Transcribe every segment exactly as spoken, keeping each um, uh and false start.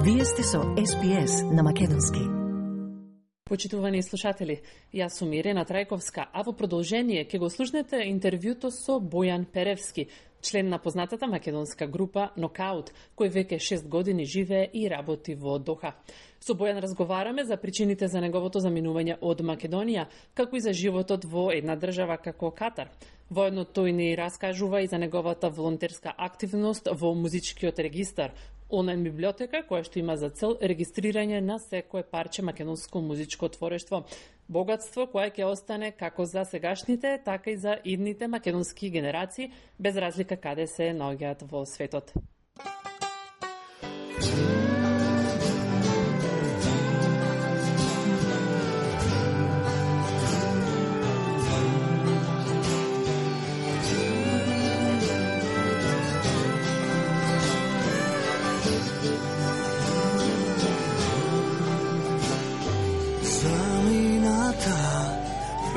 Вие сте со Ес Би Ес на македонски. Почитувани слушатели, јас сум Ирена Трајковска, а во продолжение ќе го слушнете интервјуто со Бојан Перевски, член на познатата македонска група Нокаут, кој веќе шест години живее и работи во Доха. Со Бојан разговараме за причините за неговото заминување од Македонија, како и за животот во една држава како Катар. Воедно тој ни раскажува и за неговата волонтерска активност во музичкиот регистар, онлайн библиотека која што има за цел регистрирање на секое парче македонско музичко творештво. Богатство кое ќе остане како за сегашните, така и за идните македонски генерации, без разлика каде се наоѓаат во светот.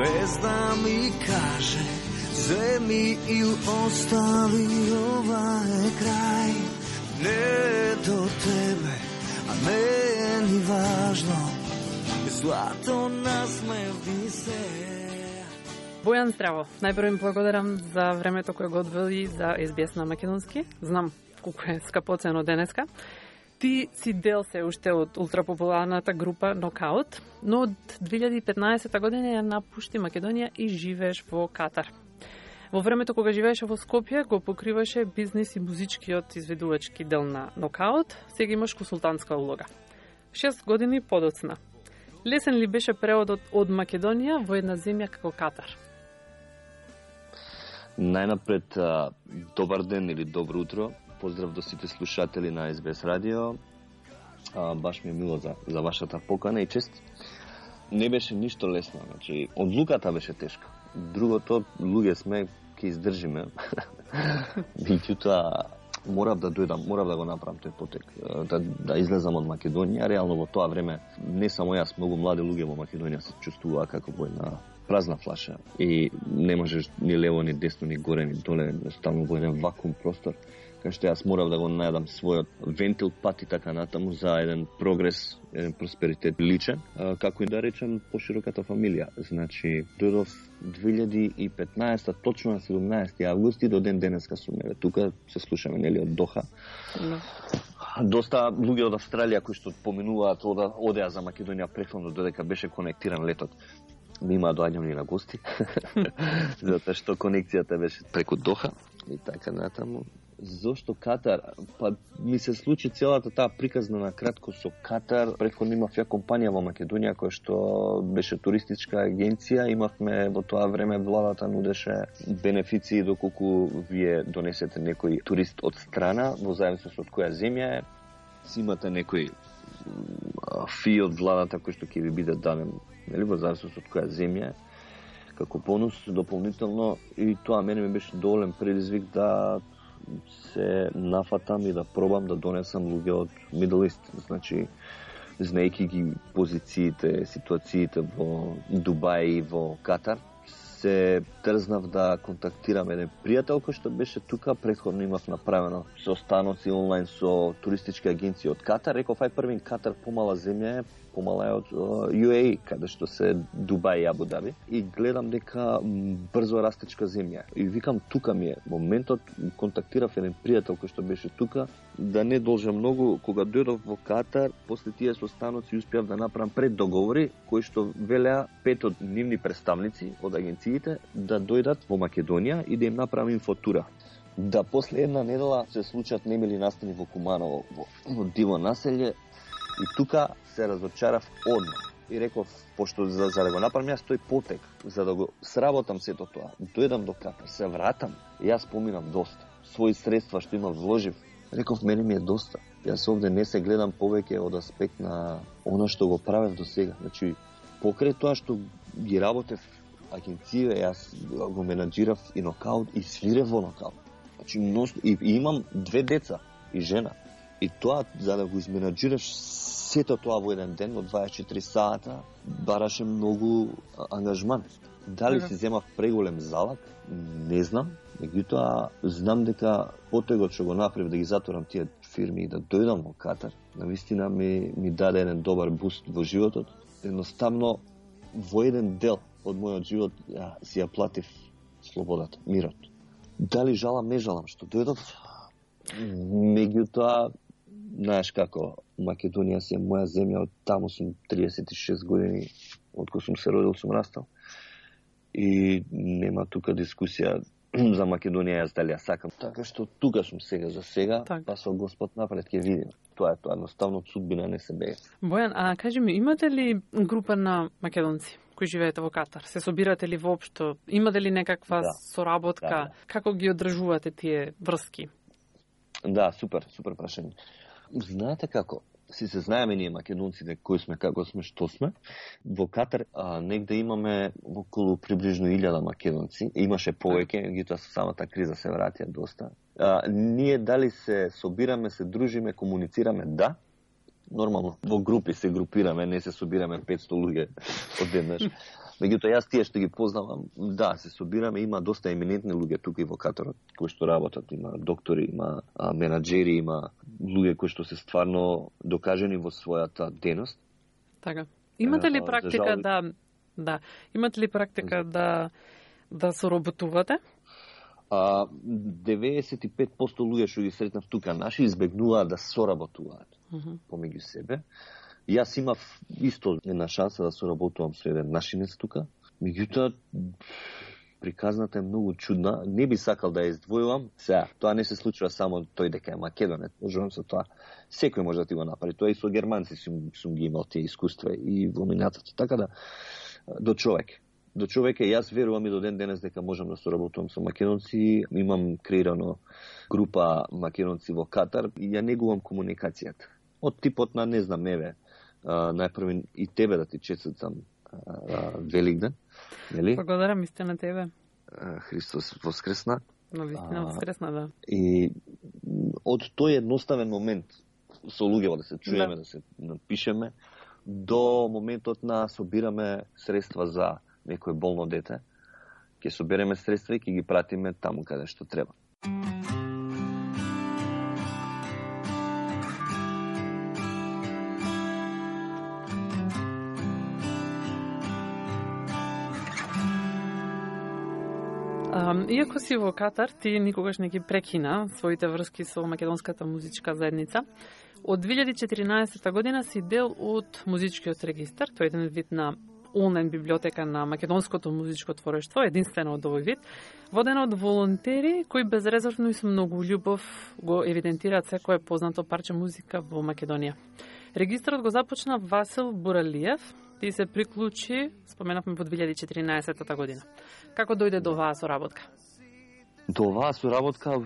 Без да ми каже, земи или остави, ова е крај. Не е до тебе, а не е ни важно, злато насмевни се. Бојан, здраво. Најпрво им благодарам за времето кое го одвели за Ес Би Ес на македонски. Знам колку е скапоцено денеска. Ти си дел се уште од ултрапопуларната група Нокаут, но од две илјади и петнаесета година ја напушти Македонија и живееш во Катар. Во времето кога живееше во Скопје, го покриваше бизнис и музичкиот изведувачки дел на Нокаут, сега имаш консултантска улога. Шест години подоцна. Лесен ли беше преводот од Македонија во една земја како Катар? Најнапред, добар ден или добро утро. Поздрав до сите слушатели на Ес Би Ес радио. А, баш ми е мило за, за вашата покана и чест. Не беше ништо лесно, значи одлуката беше тешка. Другото, луѓе сме, ќе издржиме. Меѓутоа, морав да дојдам, морав да го направам тој потек, да, да излезам од Македонија. Реално во тоа време не само јас, многу млади луѓе во Македонија се чувствуваа како во една празна флаша и не можеш ни лево, ни десно, ни горе, ни доле, едноставно во еден вакуум простор, кај што јас морав да го најдам својот вентил, пат и така натаму за еден прогрес, еден просперитет личен, како и да речем пошироката фамилија. Значи, дојдов две илјади и петнаесета, точно на седумнаесети август и до ден денеска сум еве тука, се слушаме нели од Доха. No. Доста луѓе од Австралија кои што поминуваат ода, одеа за Македонија претходно додека беше конектиран летот. Нима доаѓам ни на гости, затоа што конекцијата беше преку Доха и така натаму. Зошто Катар? Па ми се случи целата таа приказна на кратко со Катар. Претходно имав ја компанија во Македонија која што беше туристичка агенција. Имавме во тоа време владата нудеше бенефиции доколку вие донесете некој турист од страна, во зависност од која земја е. Си имате некој фи од владата кој што ќе ви биде даден, нели, во зависност од која земја е, како бонус дополнително, и тоа мене ми беше доволен предизвик да се нафатам и да пробам да донесам луѓе од Middle East, значи знаејќи ги позициите, ситуациите во Дубај и во Катар, се трзнав да контактирам еден пријател кој што беше тука. Претходно имав направено состаноци онлайн со туристички агенции од Катар. Реков, ај првин Катар помала земја е, помала е од Ю Ей, каде што се Дубај и Абу Даби. И гледам дека брзо растечка земја. И викам, тука ми е моментот. Контактирав еден пријател кој што беше тука. Да не должам многу, кога дојдов во Катар, после тие состаноци успеав да направам преддоговори кои што велеа пет од нивни представници од агенциите да дојдат во Македонија и да им направам инфотура. Да после една недела се случат немили настани во Куманово, во, во диво населје, и тука се разочарав одма. И реков, пошто за, за да го направам јас тој потек, за да го сработам сето тоа, дојдам до Катар, се вратам, јас поминам доста. Своји средства што имам вложив, реков, мене ми е доста. Јас овде не се гледам повеќе од аспект на оно што го правев до сега. Значи, покрај тоа што ги работев агенција, јас го менаџирав и Нокаут и свирев во Нокаут. Значи, и, и имам две деца и жена. И тоа, за да го изменаџираш сето тоа во еден ден, во дваесет и четири сата, бараше многу ангажман. Дали си земав преголем залак, не знам. Меѓутоа, знам дека потегот што го направив да ги затворам тие фирми да дојдам во Катар, навистина ми, ми даде еден добар буст во животот. Едноставно, во еден дел од мојот живот ја, си ја платив слободата, мирот. Дали жалам, не жалам што дојдов, меѓутоа, знаеш како, Македонија си е моја земја, од таму сум триесет и шест години, од кој сум се родил, сум растал. И нема тука дискусија за Македонија, јас дали ја сакам. Така што тука сум сега за сега, так. Па со Господ напред ќе видим. Тоа е тоа, едноставно од судбина не се бега. Бојан, а кажи ми, имате ли група на македонци кои живеете во Катар? Се собирате ли воопшто? Имате ли некаква да. соработка? Да, да. Како ги одржувате тие врски? Да, супер, супер прашање. Знаете како? Си се знаеме ние македонците кои сме, како сме, што сме. Во Катар а, негде имаме околу приближно илјада македонци. Имаше повеќе, гитоа со самата криза се вратија доста. А, ние дали се собираме, се дружиме, комуницираме, да. Нормално, во групи се групираме, не се собираме петсто луѓе одеднаш. Меѓутоа, јас тие што ги познавам, да, се собираме, има доста еминентни луѓе тука и во Катарот, кои што работат, има доктори, има а, менаџери, има луѓе кои што се стварно докажени во својата деност. Така. Имате ли практика жал... да да, имате ли практика да да соработувате? А, деветдесет и пет проценти луѓе што ги сретнав тука наши избегнуваат да соработуваат uh -huh. помеѓу себе. Јас имав исто една шанса да соработувам со еден нашинец тука. Меѓутоа, приказната е многу чудна. Не би сакал да ја издвојувам. Сега, тоа не се случува само тој дека е македонец. Можам со тоа. Секој може да ти го направи. Тоа и со германци сум, сум ги имал тие искуства и во минатото. Така да, до човек. До човек е, јас верувам и до ден денес дека можам да соработувам со македонци. Имам креирано група македонци во Катар и ја негувам комуникацијата. Од типот на, не знам, еве, Uh, најпрви и тебе да ти честитам uh, Великден, нели? Благодарам исто на тебе. Uh, Христос воскресна. Но вистина воскресна, да. И од тој едноставен момент со луѓето да се чуеме, да, да се напишеме, до моментот на собираме средства за некој болно дете, ќе собереме средства и ќе ги пратиме таму каде што треба. Um, иако си во Катар, ти никогаш не ги прекина своите врски со македонската музичка заедница. Од две илјади и четиринаесета година си дел од музичкиот регистар, тој е еден вид на онлайн библиотека на македонското музичко творештво, единствено од овој вид, водена од волонтери кои безрезервно и со многу љубов го евидентираат секое познато парче музика во Македонија. Регистарот го започна Васил Буралиев, ти се приклучи, споменавме во две илјади и четиринаесета година. Како дојде до оваа соработка? До оваа соработка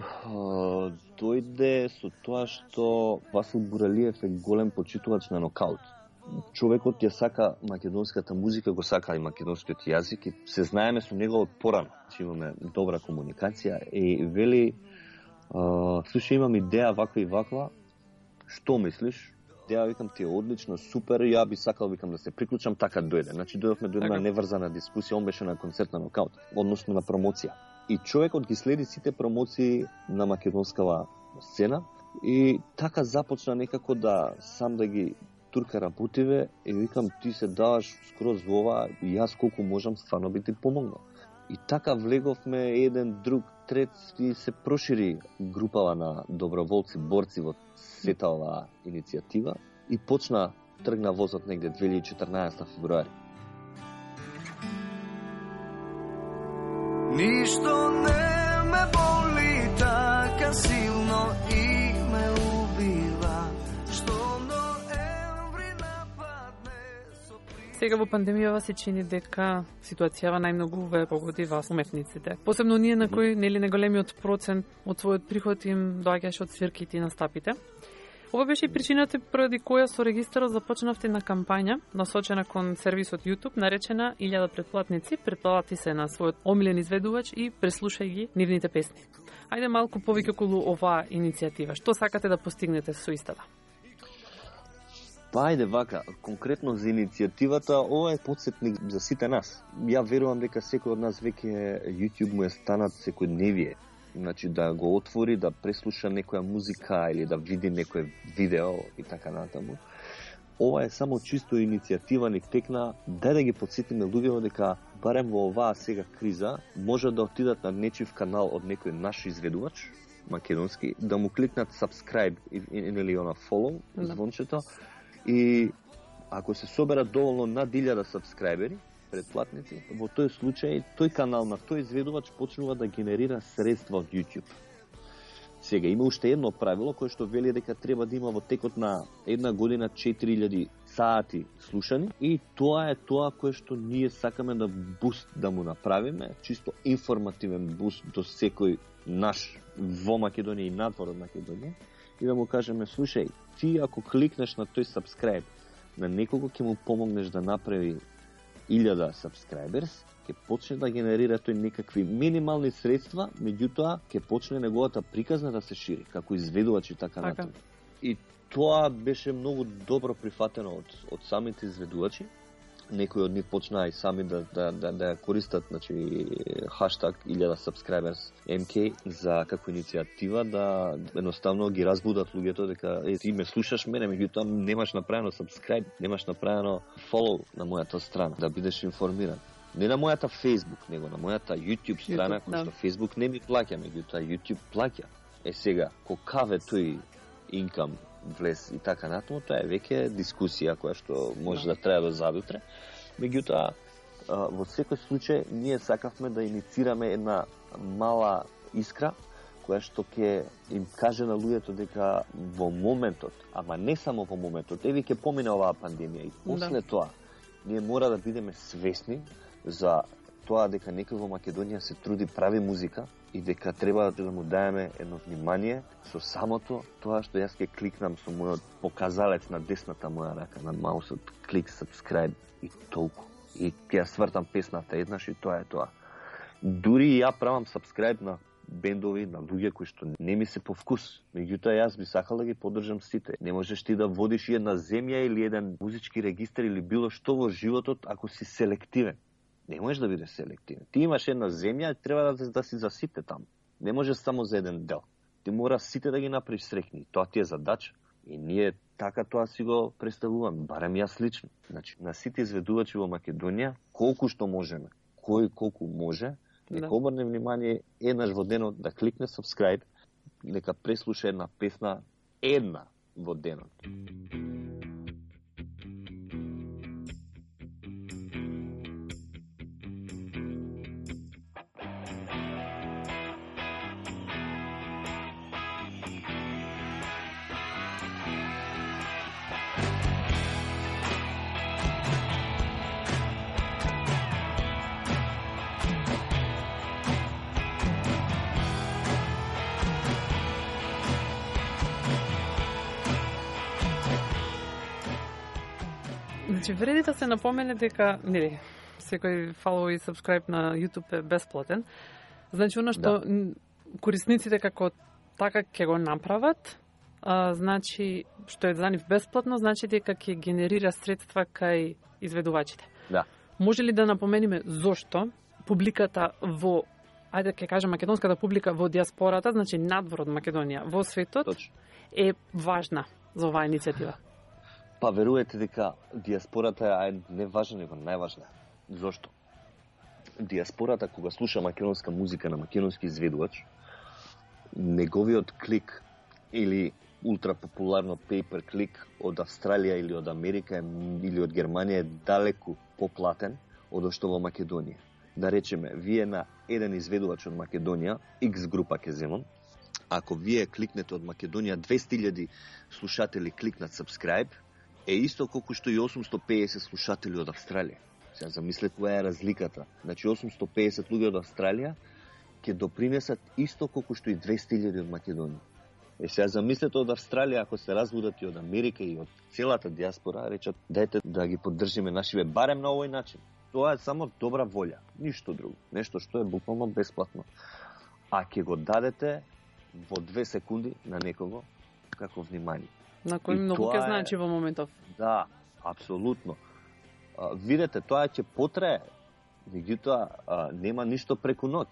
дојде со тоа што Васил Буралиев е голем почитувач на нокаут. Човекот ја сака македонската музика, го сака и македонскиот јазик и се знаеме со него од порано. Имаме добра комуникација и вели, слушај, имам идеја ваква и ваква, што мислиш? Ја викам, ти е одлично, супер, ја би сакал, викам, да се приклучам, така дојде. Значи, дојдовме до една неврзана дискусија, он беше на концерт на нокаут, односно на промоција. И човекот ги следи сите промоции на македонскава сцена и така започна некако да сам да ги турка путиве и викам, ти се даваш скроз во ова и јас колку можам стварно би ти помогнал. И така влеговме еден, друг, трет и се прошири групава на доброволци, борци во сета оваа иницијатива и почна, тргна возот негде две илјади и четрнаесета февруари. Ништо не ме боли така силно и ме убива, што ноември нападне со... Сега во пандемијава се чини дека ситуацијава најмногу ве погоди вас уметниците. Посебно ние на кои нели неголемиот процент од својот приход им доаѓаше од свирките и настапите. Ова беше и причината поради која со регистарот започнавте на кампања насочена кон сервисот YouTube, наречена илјада претплатници, претплати се на својот омилен изведувач и преслушај ги нивните песни. Ајде малку повеќе околу оваа иницијатива. Што сакате да постигнете со истата? Па ајде вака, конкретно за иницијативата, ова е потсетник за сите нас. Ја верувам дека секој од нас веќе YouTube му е станат секојдневие. значи да го отвори, да преслуша некоја музика или да види некој видео и така натаму. Ова е само чисто иницијатива, ник текна, дај да ги подсетиме луѓето дека барем во оваа сега криза може да отидат на нечив канал од некој наш изведувач македонски, да му кликнат subscribe или она follow, звончето, и ако се соберат доволно над илјада сабскрајбери, претплатници, во тој случај тој канал на тој изведувач почнува да генерира средства од YouTube. Сега има уште едно правило кое што вели дека треба да има во текот на една година четири илјади сати слушани, и тоа е тоа кое што ние сакаме да буст да му направиме, чисто информативен буст до секој наш во Македонија и надвор од Македонија, и да му кажеме, слушај, ти ако кликнеш на тој subscribe на некого, ќе му помогнеш да направи илјада subscribers, ќе почне да генерира тој некакви минимални средства, меѓутоа ќе почне неговата приказна да се шири, како изведувач и така натаму. И тоа беше многу добро прифатено од, од самите изведувачи. Некои од нив почнаа и сами да, да, да, да користат, значи, хаштаг илјада subscribers ем кей за како иницијатива да едноставно ги разбудат луѓето дека е, ти ме слушаш мене, меѓутоа немаш направено subscribe, немаш направено follow на мојата страна, да бидеш информиран. Не на мојата Facebook, него на мојата YouTube страна, YouTube, која што да. Facebook не ми плаќа, меѓутоа YouTube плаќа. Е сега, кокаве тој инкам влез и така натаму, тоа е веќе дискусија која што може да, да трае до задутре. Меѓутоа, во секој случај, ние сакавме да иницираме една мала искра, која што ќе им каже на луѓето дека во моментот, ама не само во моментот, еви ќе помине оваа пандемија и после да. Тоа, ние мора да бидеме свесни за тоа дека некој во Македонија се труди, прави музика и дека треба да му даеме едно внимание со самото тоа што јас ќе кликнам со мојот показалец на десната моја рака на маусот, клик subscribe и толку. И ќе ја свртам песната еднаш и тоа е тоа. Дури и ја правам subscribe на бендови, на луѓе кои што не ми се по вкус. Меѓутоа јас би сакал да ги поддржам сите. Не можеш ти да водиш една земја или еден музички регистар или било што во животот ако си селективен. Не можеш да бидеш селективен. Ти имаш една земја, треба да, да си за сите таму. Не можеш само за еден дел. Ти мора сите да ги направиш среќни. Тоа ти е задача. И ние така тоа си го представуваме, барем јас лично. Значи, на сите изведувачи во Македонија, колку што можеме, кој колку може, нека да. Обрне внимание еднаш во денот да кликне subscribe, нека преслуша една песна, една во денот. Значи, вреди да се напомене дека, нели, секој follow и subscribe на YouTube е бесплатен. Значи, оно што да. Корисниците како така ќе го направат, а, значи, што е за нив бесплатно, значи дека ќе генерира средства кај изведувачите. Да. Може ли да напомениме зошто публиката во, ајде ќе кажем македонската публика во диаспората, значи надвор од Македонија, во светот, Точно. Е важна за оваа иницијатива? Па верувате дека диаспората е не важна, него најважна. Зошто? Диаспората кога слуша македонска музика на македонски изведувач, неговиот клик или ултрапопуларно paper клик од Австралија или од Америка или од Германија е далеку поплатен од што во Македонија. Да речеме, вие на еден изведувач од Македонија, X група ќе земам, ако вие кликнете од Македонија двесте илјади слушатели кликнат subscribe, е исто колку што и осумсто пеесет слушатели од Австралија. Сега замислете која е разликата. Значи осумсто пеесет луѓе од Австралија ќе допринесат исто колку што и двесте илјади од Македонија. Е сега замислете од Австралија, ако се разбудат и од Америка и од целата диаспора, речат дајте да ги поддржиме нашиве барем на овој начин. Тоа е само добра волја, ништо друго. Нешто што е буквално бесплатно. А ќе го дадете во две секунди на некого како внимание. На кој многу ќе значи во моментов. Да, апсолутно. А, видете, тоа ќе потрае, меѓутоа нема ништо преку ноќ.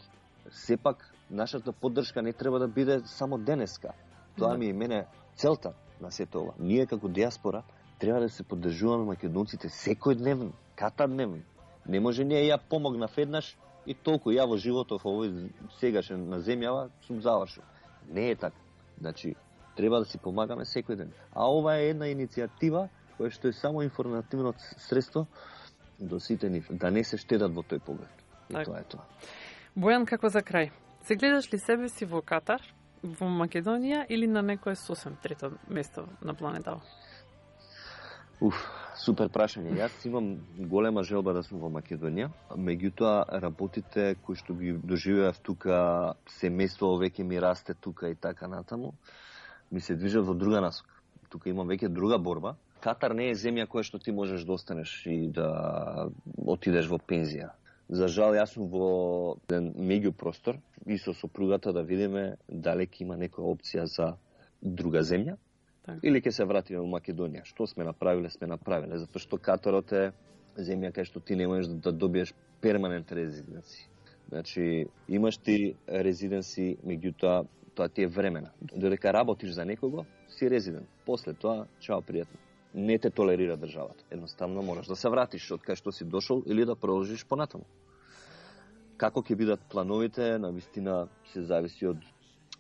Сепак нашата поддршка не треба да биде само денеска. Тоа ми е мене целта на сето ова. Ние како диаспора треба да се поддржуваме македонците секојдневно, катадневно. Не може ние ја помогнав еднаш и толку ја во животов овој сегашен на земјава сум завршил. Не е така. Значи, треба да си помагаме секој ден. А ова е една иницијатива која што е само информативно средство до сите нив, да не се штедат во тој поглед. И так. Тоа е тоа. Бојан, како за крај? Се гледаш ли себе си во Катар, во Македонија или на некое сосем трето место на планетава? Уф, супер прашање. Јас имам голема желба да сум во Македонија, меѓутоа работите кои што ги доживеав тука, семејство веќе ми расте тука и така натаму, ми се движат во друга насока. Тука имам веќе друга борба. Катар не е земја која што ти можеш да останеш и да отидеш во пензија. За жал, јас сум во еден меѓупростор и со сопругата да видиме дали ќе има некоја опција за друга земја. Так. Или ќе се вратиме во Македонија. Што сме направиле, сме направиле. Затоа што Катарот е земја кај што ти не можеш да, да добиеш перманент резиденци. Значи, имаш ти резиденци, меѓутоа тоа ти е времена. Додека работиш за некого, си резидент. После тоа, чао, пријатно. Не те толерира државата. Едноставно мораш да се вратиш од кај што си дошол или да продолжиш понатаму. Како ќе бидат плановите, на вистина се зависи од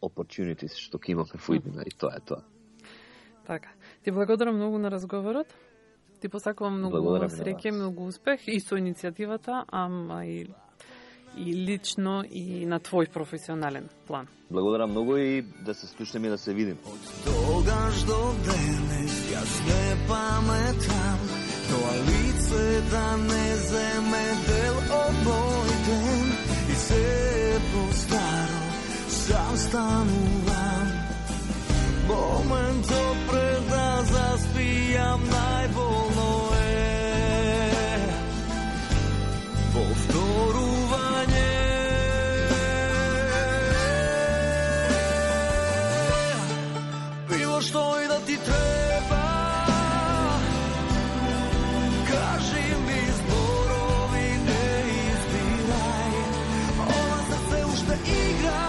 opportunities што ќе имаме во иднина и тоа е тоа. Така. Ти благодарам многу на разговорот. Ти посакувам многу среќа, многу успех и со иницијативата, ама и и лично и на твој професионален план. Благодарам многу и да се слушнеме и да се видим. Од тогаш до денес јас не паметам тоа лице да не земе дел од мој ден и се по-старо сам станувам. Моментот пред да заспијам најболно е повторување. Било што и да ти треба, кажи ми зборови, не избирај. Ова срце уште игра.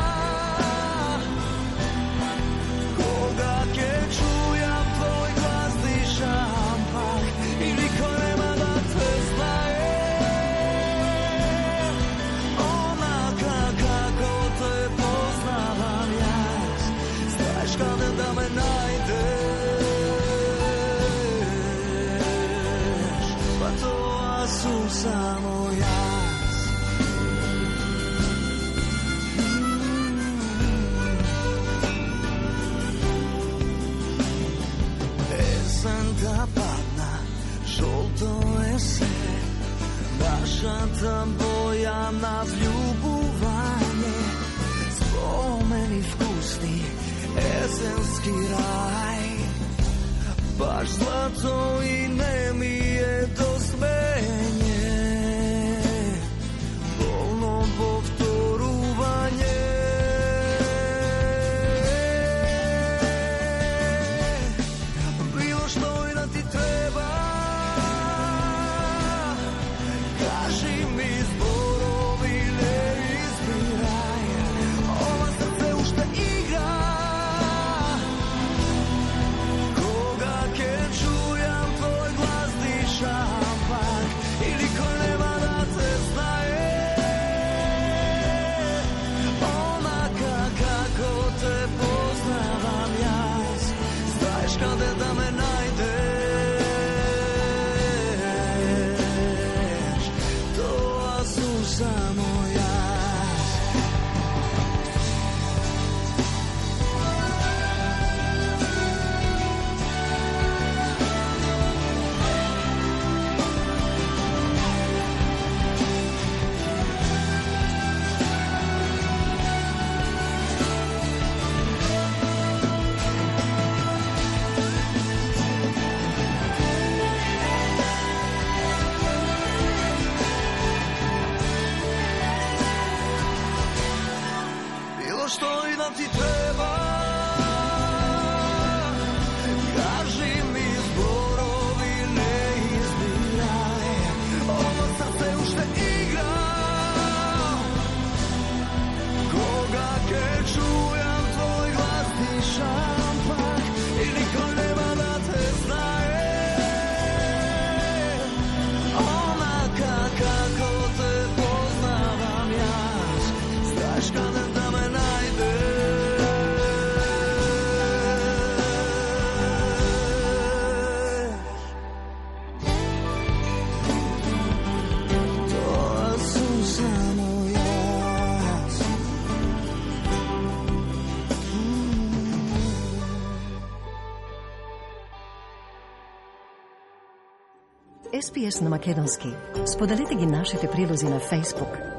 Само јас. Есента падна, жолто е се, нашата боја на влюбување, спомени вкусни, есенски рај, баш злато и не ми е до смење. Ес Би Ес на македонски. Споделете ги нашите прилози на Facebook.